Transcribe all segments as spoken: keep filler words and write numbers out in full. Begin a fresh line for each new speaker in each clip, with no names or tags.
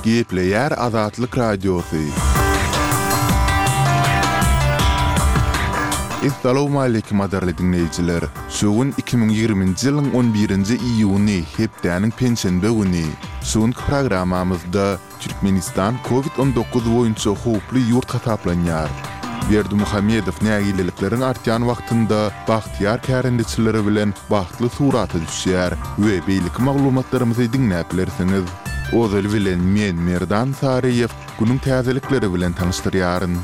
Gepleýär Azatlyk Radiosy. Essalawmaleýkim gadyrly diňleýjiler! Şu gün iki müň ýigriminji ýylyň on birinji iýuny, hepdäniň penşenbe güni. Şu günki programmamyzda Türkmenistan Covid on dokuz boýunça howply ýurt hasaplanýar. Berdimuhamedow nägilelikleriň artýan wagtynda bagtyýar kärendeçileri bilen bagtly surata düşýär we beýleki maglumatlarymyzy diňläp bilersiňiz. Ozaly bilen men Merdan Saryýew günüň täzelikleri bilen tanyşdyrýaryn.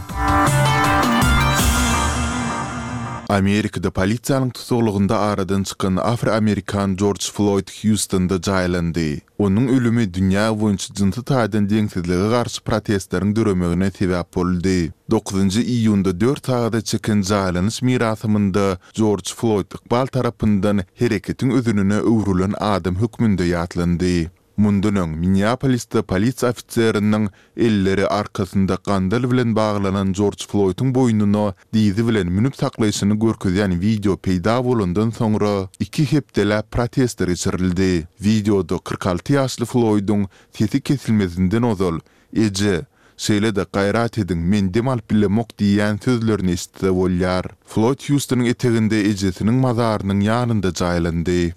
Amerikada polisiýanyň tusaglygynda aradan çykan afroamerikan Jorj Floýd Hýustonda jaýlandy. Onuň ölümi dünýä boýunça jynsy taýdan deňsizlige garşy protestleriň döremegine sebäp boldy. Dokuzynjy iýunda dört sagada çeken jaýlanyş mirasymynda Jorj Floýd ykbal tarapyndan hereketiň özenine öwrülen adam hökmünde ýatlandy. Mundan öň, Minneapolisde polisiýa ofiseriniň elleri arkasynda gandal bilen baglanan Jorj Floýdyň boýnuna dyzy bilen münüp saklaýşyny görkezýän wideo peýda bolandan soňra iki hepdeläp protestler geçirildi. Wideoda kyrk alty ýaşly Floýdyň sesi kesilmezinden ozal, Eje, şeýle-de gaýrat ediň, men dem alyp bilemok diýýän sözlerini eşitse bolýar. Floýd Hýustonyň eteginde ejesiniň mazarynyň ýanynda jaýlandy.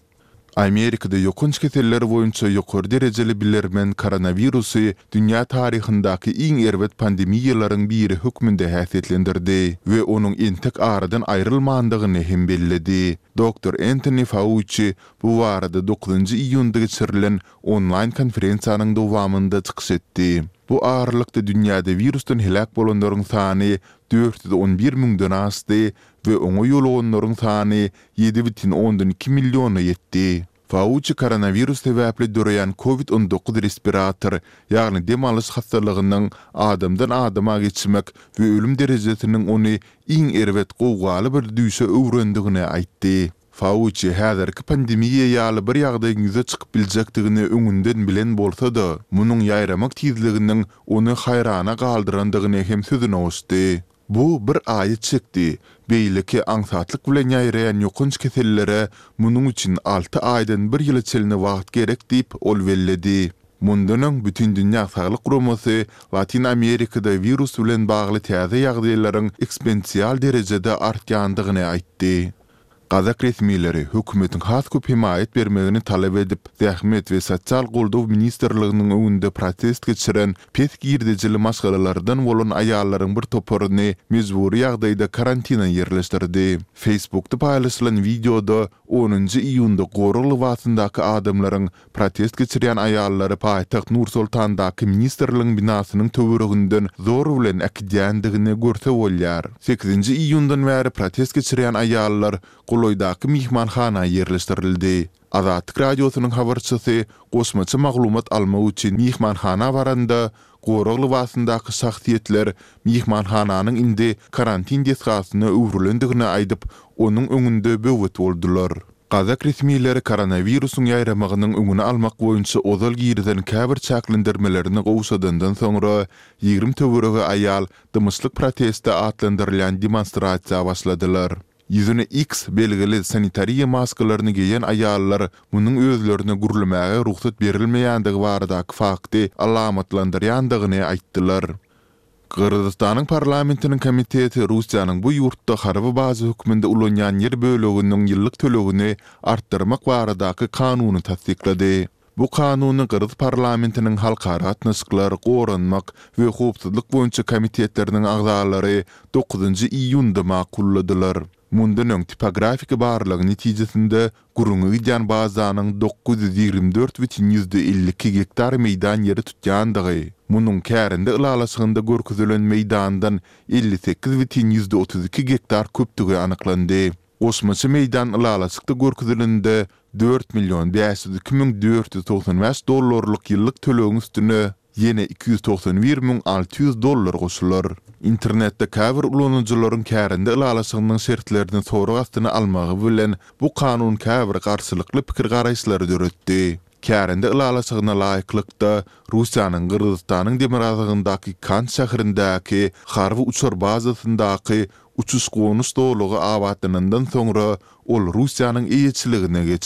Amerikada ýokanç keseller boýunça ýokary derejeli bilermen koronawirusy dünýä taryhyndaky iň erbet pandemiýalaryň biri hökmünde häsiýetlendirdi we onuň entek aradan aýrylmandygyny hem belledi. Doktor Entoni Fauçi bu barada dokuzynjy iýunda geçirilen onlaýn konferensiýanyň dowamynda çykyş etdi. Bu aralykda dünýäde wirusdan heläk bolanlaryň sany dört ýüz on bir müňden aşdy we oňa ýoluganlaryň sany ýedi bütin ondan iki milliona ýetdi. Fauçi koronawirus sebäpli döreýän Covid on dokuz respirator, ýagny dem alyş hassalygynyň adamdan adama geçmek we ölüm derejesiniň ony iň erbet gowgaly bir düýşe öwrendigini aýtdy. Fauçi häzirki pandemiýa ýaly bir ýagdaýyň ýüze çykyp biljekdigini öňünden bilen bolsa-da, munuň ýaýramak tizliginiň ony haýrana galdyrandygyny hem sözüne goşdy. Bu bir aýy çekdi. Beýleki aňsatlyk bilen ýaýraýan ýokanç kesellere munuň üçin alty aýdan bir ýyla çenli wagt gerek diýip, ol belledi. Mundan öň Bütindünýä Saglyk Guramasy Latyn Amerikada wirus bilen bagly täze ýagdaýlaryň eksponensial derejede artýandygyny aýtdy. Gazak resmileri hökümetiň has köp hemaýat bermegini talap edip, Zähmet we sosial goldaw ministrliginiň öňünde protest geçiren pes girdejili maşgalalardan bolan aýallaryň bir toparyny mejbury ýagdaýda karantina ýerleşdirdi. Facebookda paýlaşylan wideoda onunjy iýunda gorag lybasyndaky adamlaryň protest geçirýän aýallary paýtagt Nur-Sultandaky ministrligiň binasynyň töwereginden zor bilen äkidýändigini görse bolýar. Sekizinji iýundan bäri protest geçirýän aýallar golaýdaky myhmanhana ýerleşdirildi. Azatlyk Radiosynyň habarçysy goşmaça maglumat almak üçin myhmanhana baranda, gorag lybasyndaky şahsyýetler myhmanhananyň indi karantin desgasyna öwrülendigini aýdyp, onuň öňünde böwet boldular. Gazak resmileri koronawirusyň ýaýramagynyň öňüni almak boýunça ozal girizen käbir çäklendirmelerini gowşadandan soňra ýigrimi töweregi aýal dymyşlyk protesti atlandyrylýan demonstrasiýa başladylar. Ýüzüne X belgili sanitariýa maskalaryny geýen aýallar munuň özlerine gürlemäge rugsat berilmeýändigi baradaky fakty alamatlandyrýandygyny aýtdylar. Gyrgyzystanyň parlamentiniň komiteti Russiýanyň bu ýurtda harby baza hökmünde ulanýan ýer böleginiň ýyllyk tölegini artdyrmak baradaky kanuny tassyklady. Bu kanuny gyrgyz parlamentiniň halkara gatnaşyklar, goranmak we howpsuzlyk boýunça komitetleriniň agzalary dokuzynjy iýunda makulladylar. Mundan öň tipografik barlagyň netijesinde gürrüňi gidýän bazanyň dokuz ýüz ýigrimi dört bütin ýüzde elli iki gektar meýdan ýeri tutýandygy, munuň kärende ylalaşygynda görkezilen meýdandan elli sekiz bütin ýüzde otuz iki gektar köpdügi anyklandy. Goşmaça meýdan ylalaşykda görkezilende dört million bäş ýüz iki müň dört ýüz togsan bäş dollarlyk ýyllyk tölegiň üstüne ýene iki ýüz togsan bir müň alty ýüz dollar goşular. Internetde käbir ulanyjylaryň kärende ylalaşygynyň şertlerini sorag astyna almagy bilen bu kanun käbir garşylykly pikir-garaýyşlary döretdi. Kärende ylalaşygyna laýyklykda, Russiýanyň Gyrgyzystanyň demirgazygyndaky Kant şäherindäki harby uçar bazasyndaky uçuş-gonuş zolagy abatlanandan soňra ol Russiýanyň eýeçiligine geçer.